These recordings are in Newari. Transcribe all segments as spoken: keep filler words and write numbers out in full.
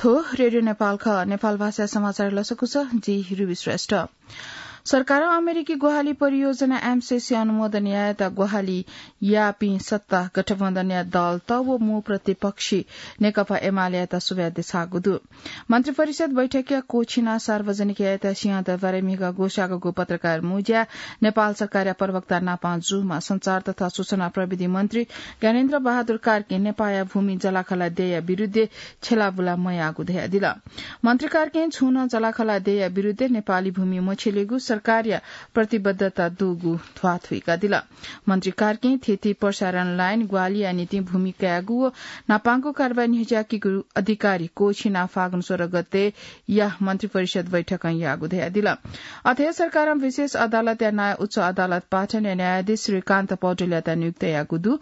थ्व रेडियो नेपाल खः। नेपाल भाषा समाचार लसकुस, जि रुबी श्रेष्ठ। सरकारं अमेरिकी ग्वाहालि परियोजना एमसेसी अनुमोदन यायेत ग्वाहालि याःपिं सत्ता गठबन्धनया दलत व मू प्रतिपक्षी नेकपा एमालेयात सुभाय् देछाःगु दु। मन्त्रिपरिषद बैठकया कोछिना सार्वजनिक यायेत सिंहदरबारय् म्हिगः ग्वसाःगु पत्रकार मुँज्या नेपाल सरकारया प्रवक्ता नापां जूम्ह सञ्चार तथा सूचना प्रविधि मन्त्री ज्ञानेन्द्र बहादुर कार्कीं नेपाःया भूमि जलाखला देय्‌या विरुद्धय् छेलाबुला मयाःगु धयादिल। मन्त्री कार्कीं छुं नं जलाखला देय्‌या विरुद्धय् नेपाली भूमि मछ्यलेगु सरकारया प्रतिबद्धता दुगु ध्वाथुइकादिल। मन्त्री कार्कीं थीथी प्रसारण लाइन ग्वाहालिया निंतिं भूमि कायेगु व नापांगु कारवाही न्ह्यज्याकीगु अधिकारी कोछिना फागुन सोह्र गतेया मन्त्रिपरिषद बैठकं याःगु धयादिल। अथे सरकारं विशेष अदालतया नायः उच्च अदालत पाटनया न्यायाधीश श्रीकान्त पौडेलयात नियुक्त याःगु दु।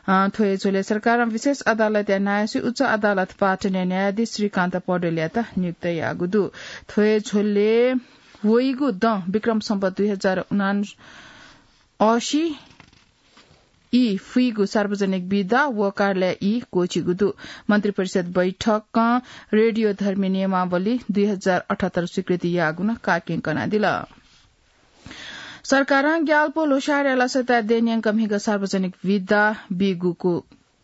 अ, थ्व हे झ्वलय् सरकारं विशेष अदालतया नायःसि उच्च अदालत पाटनया न्यायाधीश श्रीकान्त पौडेलयात नियुक्त याःगु दु। थ्व हे झ्वलय् वइगु दँ विक्रम सम्वत दुई हजार उनासी ई फुइगु सार्वजनिक बिदा व कार्यालय ई क्वःछिगु दु। मन्त्रिपरिषद बैठकं रेडियो धर्मी नियमावली दुई हजार अठहत्तर स्वीकृति याःगु नं कार्कीं कनादिल। सरकारं ग्याल्पो ल्होसारया लसताय् देय् न्यंक म्हिगः सार्वजनिक बिदा बीगु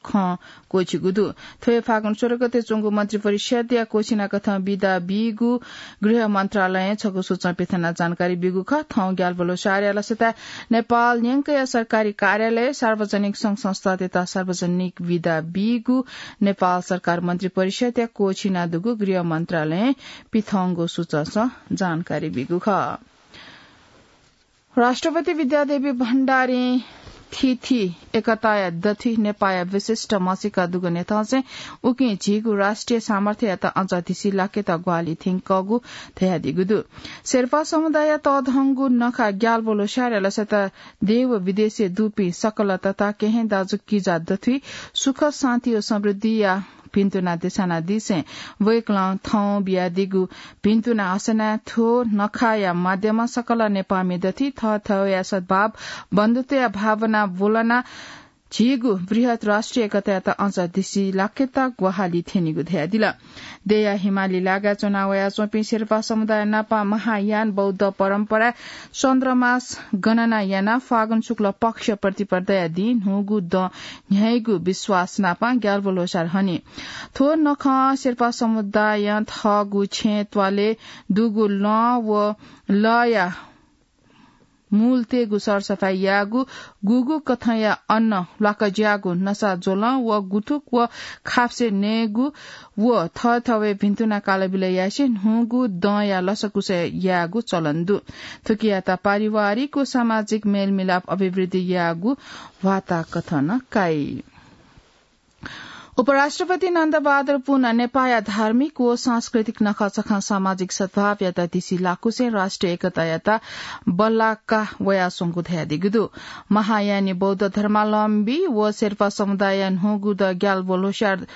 खँ क्वःछिगु दु। थ्व हे फागुन सोह्र गते च्वंगु मन्त्रिपरिषदया कोछिना कथं बिदा बीगु गृह मन्त्रालयं छगू सूचं पिथना जानकारी ब्यूगु खः। थौं ग्याल्पो ल्होसारया लसताय् नेपाल न्यंकया सरकारी कार्यालय, सार्वजनिक संघ संस्था तथा सार्वजनिक बिदा बीगु नेपाल सरकार मन्त्रिपरिषदया कोछिना दुगु गृह मन्त्रालयं पिथंगु सूचंसं जानकारी ब्यूगु खः। राष्ट्रपति विद्यादेवी भण्डारीं थीथी एकताया दथुइ नेपाःया विशिष्ट म्हसीका दुगु न्ह्यथंसें उकिं झीगु राष्ट्रिय सामर्थ्ययात अझ धिसी लाकेत ग्वाहालि थ्यंकूगु धयादीगु दु। शेर्पा समुदायया तःधंगु नखा ग्याल्पो ल्होसारया लसताय् देश व विदेशय् दुपिं सकल तता केहेँ दाजुकिजा दथुइ सुख, शान्ति व समृद्धिया भिन्तुना देछानादिसें वय्‌कलं थौं बियादीगु भिन्तुना हसनाय् थ्व नखाया माध्यमं सकल नेपाःमि दथुइ थःथःया सद्भाव, बन्धुत्वया भावना ब्वलना झीगु बृहत् राष्ट्रिय एकतायात अझ धिसी लाकेत ग्वाहालि थ्यनीगु धयादिल। देय्‌या हिमाली लागाय् च्वना वयाच्वंपिं शेर्पा समुदाय नाप महायान बौद्ध परम्पराय् चन्द्रमास गणना यानाः फागुन शुक्ल पक्ष प्रतिपदाया दिं न्हूगु दँ न्ह्याइगु विश्वास नाप ग्याल्पो ल्होसार हनी। थ्व नखं शेर्पा समुदायं थःगु छेँ त्वालय् दुगु लँ व लःया मूल तयेगु सरसफाई यायेगु, गुगु कथंया अन्न ल्वाकज्याःगु नसा ज्वलं व गुथुक व खाप्से नयेगु व थःथवय् भिन्तुना कालबिल यासें न्हूगु दँया लसकुस यायेगु चलन दु। थुकियात पारिवारिक व सामाजिक मेलमिलाप अभिवृद्धि यायेगु वाताकथं नं काइ। उपराष्ट्रपति नन्दबहादुर पुन नेपाःया धार्मिक व सांस्कृतिक नखःचखं सामाजिक सद्भावयात धिसी लाकुसें राष्ट्रिय एकतायात बल्लाका वयाच्वंगु धयादीगु दु। महायानी बौद्ध धर्मावलम्बी व शेर्पा समुदायया न्हूगु दँ ग्याल्पो ल्होसार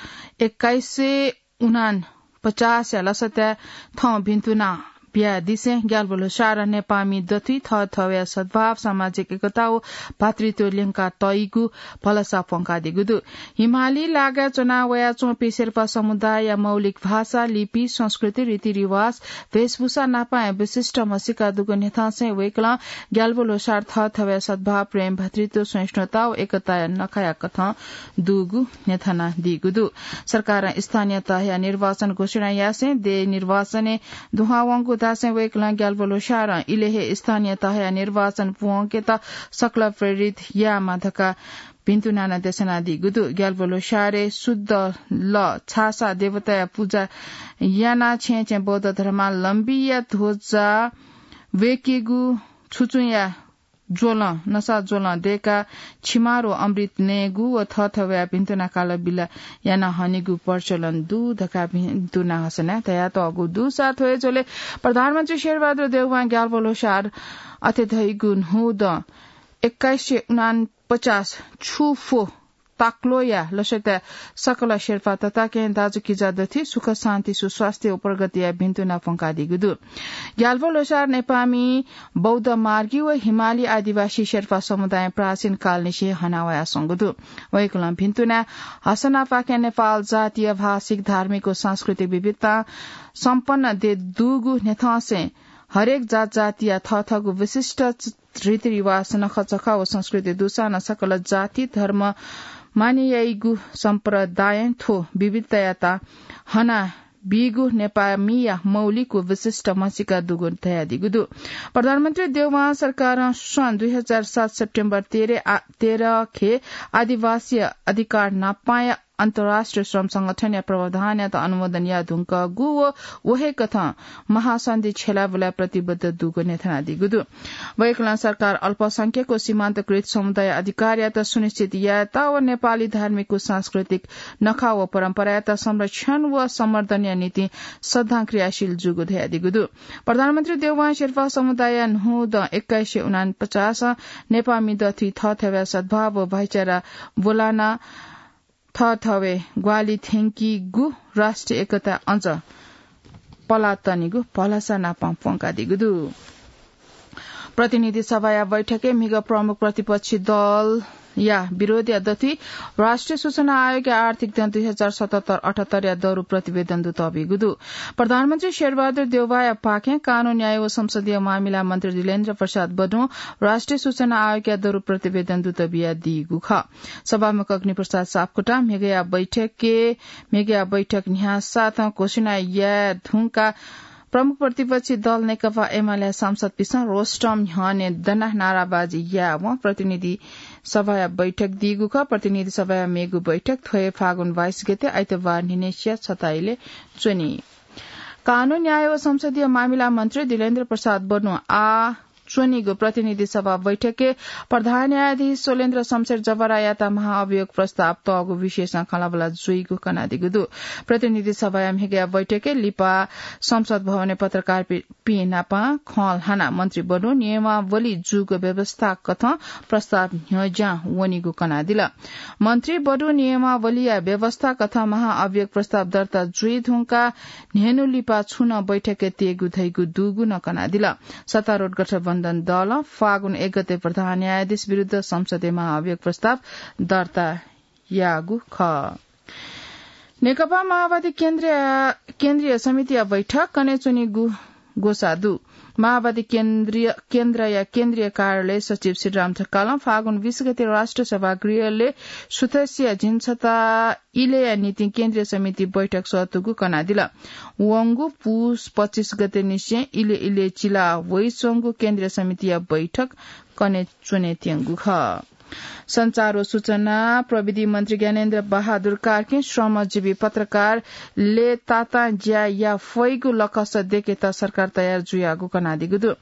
एक्काइस सय उनापचासया लसताय् थौं भिन्तुना बियादिसें ग्याल्पो ल्होसारं नेपाःमि दथुइ थःथवया सद्भाव, सामाजिक एकता व भातृत्व ल्यंका तइगु भलसा प्वंकादीगु दु। हिमाली लागाय् च्वना वयाच्वंपिं शेर्पा समुदायया मौलिक भाषा, लिपि, संस्कृति, रीतिरिवाज, भेषभूषा नापं विशिष्ट म्हसीका दुगु न्ह्यथंसें वय्‌कलं ग्याल्पो ल्होसार थःथवया सद्भाव, प्रेम, भातृत्व, सहिष्णुता व एकताया नखाया कथं दुगु न्ह्यथनादीगु दु। सरकारं स्थानीय तहया निर्वाचन घोषणा यासें देय् निर्वाचनय् दुहां वंगु धासें वय्‌कलं ग्याल्पो ल्होसारं इलय् हे स्थानीय तहया निर्वाचन पूवंकेत सकल प्रेरित यायेमा धकाः भिन्तुना नं देछानादीगु दु। ग्याल्पो ल्होसारय् शुद्ध लः छाःसा देवताया पुजा यानाः छेँय् छेँय् बौद्ध धर्मावलम्बीया ध्वजा वय्‌केगु, छुचुंया ज्वलं, नसा ज्वलं दय्‌काः छिमार व अमृत नयेगु व थःथवया भिन्तुना कालबिल याना हनेगु प्रचलन दु धकाः भिन्तुना हसनाय् धयातःगु दुसा थ्व हे झ्वलय् प्रधानमन्त्री शेरबहादुर देउवां ग्याल्पो ल्होसार अथे धइगु न्हू दँ एक्काइस सय उनापचास छु फो ताक्लोया लसताय् सकल शेर्पा तताकेहेँ दाजुकिजा दथुइ सुख शान्ति सुस्वास्थ्य व प्रगतिया भिन्तुना प्वंकादीगु दु। ग्याल्पो ल्होसार नेपाःमि बौद्ध मार्गी व हिमाली आदिवासी शेर्पा समुदाय प्राचीन कालनिसें हनावयाच्वंगु दु। वय्कलं भिन्तुना हसनापाखें नेपाल जातीय, भाषिक, धार्मिक व सांस्कृतिक विविधता सम्पन्न देय् दुगु न्ह्यथंसें हरेक जात जातिया थःथःगु विशिष्ट रीतिरिवाज, नखःचखः व संस्कृति दुसां नं सकल जाति, धर्म माने याइगु सम्प्रदायं थ्व विविधतायात हना बीगु नेपाःमिया मौलिक व विशिष्ट म्हसीका दुगु धयादीगु दु। प्रधानमन्त्री देउवां सरकारं सन् दुई हजार सात सेप्टेम्बर तेह्र आ-, तेह्र खे आदिवासी अधिकार नापाया अन्तर्राष्ट्रिय श्रम संगठनया प्रावधानयात अनुमोदन यायेधुंकूगु व व हे कथं महासन्धि छ्यलाबुलाय् प्रतिबद्ध दुगु न्ह्यथनादीगु दु। वय्कलं सरकार अल्पसंख्यक व सीमान्तकृत समुदाय अधिकारयात सुनिश्चित यायेत व नेपाली धार्मिक व सांस्कृतिक नखः व परम्परायात संरक्षण व सम्वर्धनया निंतिं सदां क्रियाशील जूगु धयादीगु दु। प्रधानमन्त्री देउवां शेर्पा समुदाय न्हूदँ एक्काइस सय उनापचास नेपाःमि दथुइ थःथवय् सद्भाव व भाइचारा ब्वलाना थःथवय् ग्वाहालि थ्यंकीगु राष्ट्रिय एकता अझ पलातनीगु भलसा नापं प्वंकादीगु दु। प्रतिनिधि सभाया बैठकय् म्हिगः प्रमुख प्रतिपक्षी दलया विरोधया दथुइ राष्ट्रिय सूचना आयोगया आर्थिक दँ दुई हजार सतहत्तर अठहत्तरया दरु प्रतिवेदन दुतःबीगु दु। प्रधानमन्त्री शेरबहादुर देउवाया पाखें कानून, न्याय व संसदीय मामिला मन्त्री दिलेन्द्र प्रसाद बडुं राष्ट्रिय सूचना आयोगया दरु प्रतिवेदन दुतबियादीगु खः। सभामुख अग्निप्रसाद सापकोटां म्हिगःया बैठकय्, म्हिगःया बैठक न्ह्यासाथं घोषणा याये धुंकाः प्रमुख प्रतिपक्षी दल नेकपा एमाले सांसदपिन्सं रोस्टम न्ह्यःने दनाः नाराबाजी यायेवं प्रतिनिधि सभाया बैठक दीगु खः। प्रतिनिधि सभाया मेगु बैठक थ्व हे फागुन बाइस गते आइतबार न्हिनेसिया छता इलय् च्वनी। कानून, न्याय व संसदीय मामिला मन्त्री दिलेन्द्र प्रसाद बडुं आः च्वनीगु प्रतिनिधि सभा बैठकय् प्रधान न्यायाधीश शैलेन्द्र शमशेर जबरायात महाअभियोग प्रस्ताव तःगु विषयसं खँल्हाबल्हा जुइगु कनादीगु दु। प्रतिनिधि सभाया म्हिगःया बैठकय् लिपा संसद भवनय् पत्रकारपिं नाप खँ ल्हानाः मन्त्री बडुं नियमावली जूगु व्यवस्था कथं प्रस्ताव न्ह्यज्यां वनीगु कनादिल। मन्त्री बडुं नियमावलीया व्यवस्था कथं महाअभियोग प्रस्ताव दर्ता जुइ धुंकाः न्हय्न्हु लिपा छुं नं बैठकय् तयेगु धइगु दुगु नं कनादिल। सत्तारूढ गठबन्धन दलं फागुन एक गते प्रधान न्यायाधीश विरुद्ध संसदय् महाअभियोग प्रस्ताव दर्ता याःगु खः। नेकपा माओवादी केन्द्रीय, केन्द्रीय समितिया बैठक कने च्वनीगु ग्वसाः दु। माओवादी केन्द्रीय, केन्द्रया केन्द्रीय कार्यालय सचिव श्रीराम ढकालं फागुन बीस गते राष्ट्रिय सभागृहय् सुथसिया झिंछता इलय्‌या निंतिं केन्द्रीय समिति बैठक सःतूगु कनादिल। वंगु पुस पच्चिस गते निसें इलय् इलय् चिला वइच्वंगु केन्द्रीय समितिया बैठक कने च्वनेत्यंगु खः। सञ्चार व सूचना प्रविधि मन्त्री ज्ञानेन्द्र बहादुर कार्कीं श्रमजीवी पत्रकार लय्‌तातां ज्या याये फइगु लकस दय्‌केत सरकार तयार जुयागु कनादीगु दु।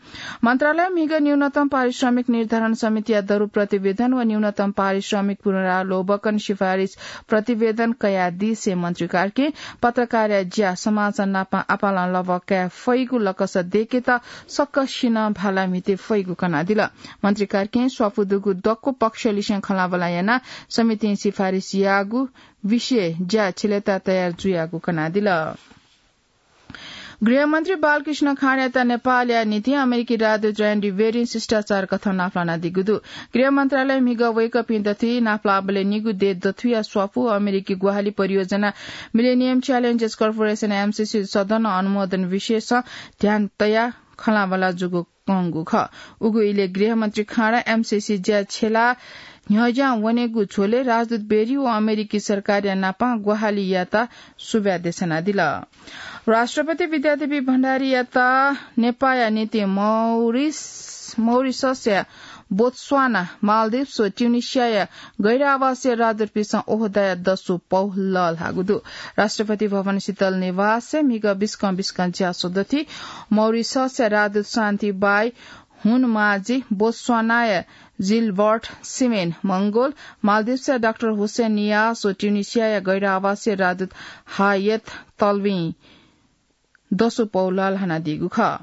मन्त्रालयं म्हिगः न्यूनतम पारिश्रमिक निर्धारण समितिया दरु प्रतिवेदन व न्यूनतम पारिश्रमिक पुनरावलोकन सिफारिस प्रतिवेदन कयादिसें मन्त्री कार्कीं पत्रकारया ज्या समाजं नाप आपालं लभ्वा काये फइगु लकस दय्‌केत सकसिनं भाला म्हिते फइगु कनादिल। मन्त्री कार्कीं स्वापू दुगु दक्व पक्षलिसें खँल्हाबल्हा यानाः समितिं सिफारिस याःगु विषयय् ज्या छिलेता तयार जुयागु कनादिल। गृहमन्त्री बालकृष्ण खाँडयात नेपालया निंतिं अमेरिकी राजदूत र्यान्डी वेरिं शिष्टाचार कथं नापलानादीगु दु। गृह मन्त्रालयं म्हिगः वय्‌कःपिं दथुइ नापलाःबलय् निगू देय् दथुया स्वापू अमेरिकी ग्वाहालि परियोजना मिलेनियम च्यालेन्जेस कर्पोरेसन, एमसिसी, सदनं अनुमोदन विषयसं ध्यान तयाः खँल्हाबल्हा जूगु कंगु खः। उगु इलय् गृहमन्त्री खाँडा एमसिसी ज्या छ्यलाः न्ह्यज्यां वनेगु झ्वलय् राजदूत वेरी व अमेरिकी सरकारया नाप ग्वाहालि यायेत सुभाय् देछानादिल। राष्ट्रपति विद्यादेवी भण्डारीयात नेपाःया निंतिं मौरिस, मौरिससया बोत्स्वाना, माल्दिभ्स व ट्युनिसियाया गैर आवासीय राजदूतपिन्सं ओहदाया दसु पौ लःल्हाःगु दु। राष्ट्रपति भवन शीतल निवासय् म्हिगः बिस्कं बिस्कं ज्यासः दथुइ मौरिससया राजदूत शान्ति बाई हुनमाजी, बोत्स्वानाया जिलबर्ट सिमेन मंगोल, माल्दिभ्सया डाक्टर हुसेन नियास व ट्युनिसियाया गैर आवासीय राजदूत हायत तल्विं दसु पौ लःल्हानादीगु खः।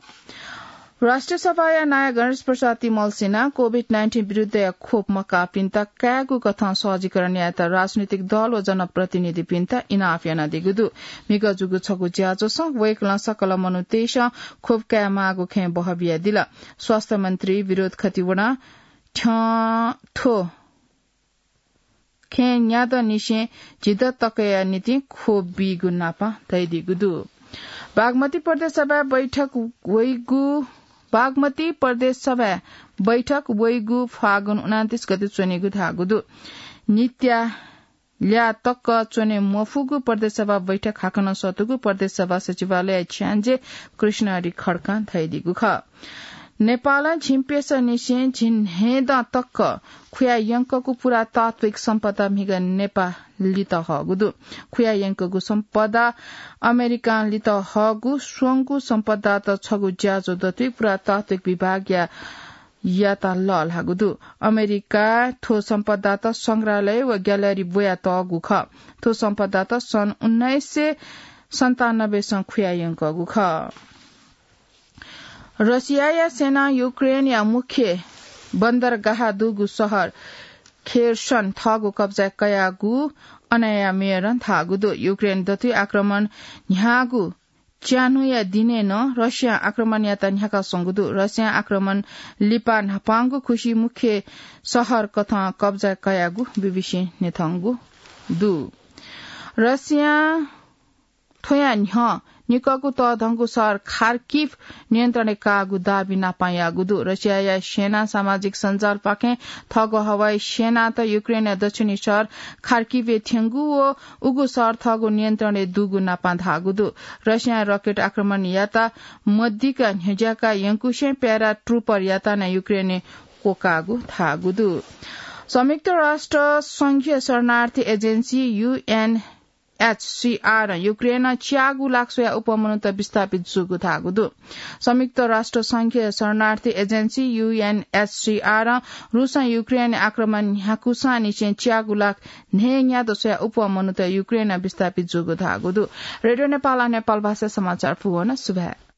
राष्ट्रिय सभाया नायः गणेश प्रसाद तिमल्सिनां COVID nineteen विरुद्धया खोप मकाःपिन्त कायेगु कथं सहजीकरण यायेत राजनीतिक दल व जनप्रतिनिधिपिन्त इनाप यानादीगु दु। म्हिगः जूगु छगू ज्याझ्वलय् वय्कलं सकल मनूतय्सं खोप कायेमाःगु खँय् बहबियादिल। स्वास्थ्य मन्त्री विनोद खतिवडां थ्यं थ्व खँय् न्यादँनिसें झिदँ तकया निंतिं खोप बीगु नापं धयादीगु दु। बागमती प्रदेश सभा बैठक वइगु, बागमती प्रदेश सभा बैठक वइगु फागुन उनान्तीस गते च्वनेगु धाःगु दु। नित्या ल्याः तक च्वने मफुगु प्रदेश सभा बैठक हाकनं सतूगु प्रदेश सभा सचिवालय छ्याञ्जे कृष्ण हरि खड्कां धयादीगु खः। नेपालं झिंप्यसःनिसें झिंन्हय्दँ तक खुया यंकूगु पुरातात्विक सम्पदा म्हिगः नेपां लित हःगु दु। खुया यंकूगु सम्पदा अमेरिकां लित हःगु स्वंगू सम्पदात छगू ज्याझ्वः दथुइ पुरातात्विक विभागया यात लःल्हाःगु दु। अमेरिकां थ्व सम्पदात संग्रहालय व ग्यालरी ब्वयातःगु खः। थ्व सम्पदात सन् उन्नाइस सय सन्तानब्बे सं खुया यंकूगु खः। रसियाया सेनां युक्रेनया मुख्य बन्दरगाह दुगु शहर खेर्सन थःगु कब्जाय् कयागु अनया मेयरं धाःगु दु। युक्रेन दथुइ आक्रमण न्ह्याःगु च्यान्हुया दिनय् नं रसियां आक्रमण यात न्ह्याका स्वंगु दु। रसियां आक्रमण लिपा न्हापांगु खुसि मुख्य शहर कथं कब्जा कयागु बीबीसीं न्ह्यथंगु दु। रसियां थ्वया न्ह्यः निकःगु तःधंगु शहर खार्किभ नियन्त्रणय् काःगु दाबी नापं याःगु दु। रसियाया सेनां सामाजिक सञ्जालपाखें थःगु हवाई सेनात युक्रेनया दक्षिणी शहर खार्किभय् थ्यंगु व उगु शहर थःगु नियन्त्रणय् दुगु नापं धाःगु दु। रसियां रकेट आक्रमण यात मदिक्क न्ह्यज्याका यंकुसें प्यारा ट्रुपर यात नं युक्रेनय् क्वकाःगु धाःगु दु। संयुक्त राष्ट्र संघीय शरणार्थी एजेन्सी, यूएनएचसीआर, युक्रेनं च्यागू लाख स्वया अप्वः मनूत विस्थापित जूगु धाःगु दु। संयुक्त राष्ट्र संघीय शरणार्थी एजेन्सी, यूएनएचसीआर, रुसं युक्रेन आक्रमण न्ह्याकूसांनिसें च्यागू लाख न्हय्न्यादँ स्वया अप्वः मनूत युक्रेनं विस्थापित जूगु धाःगु दु। रेडियो नेपालं नेपाल भाषा समाचार पूवन सुभाय्।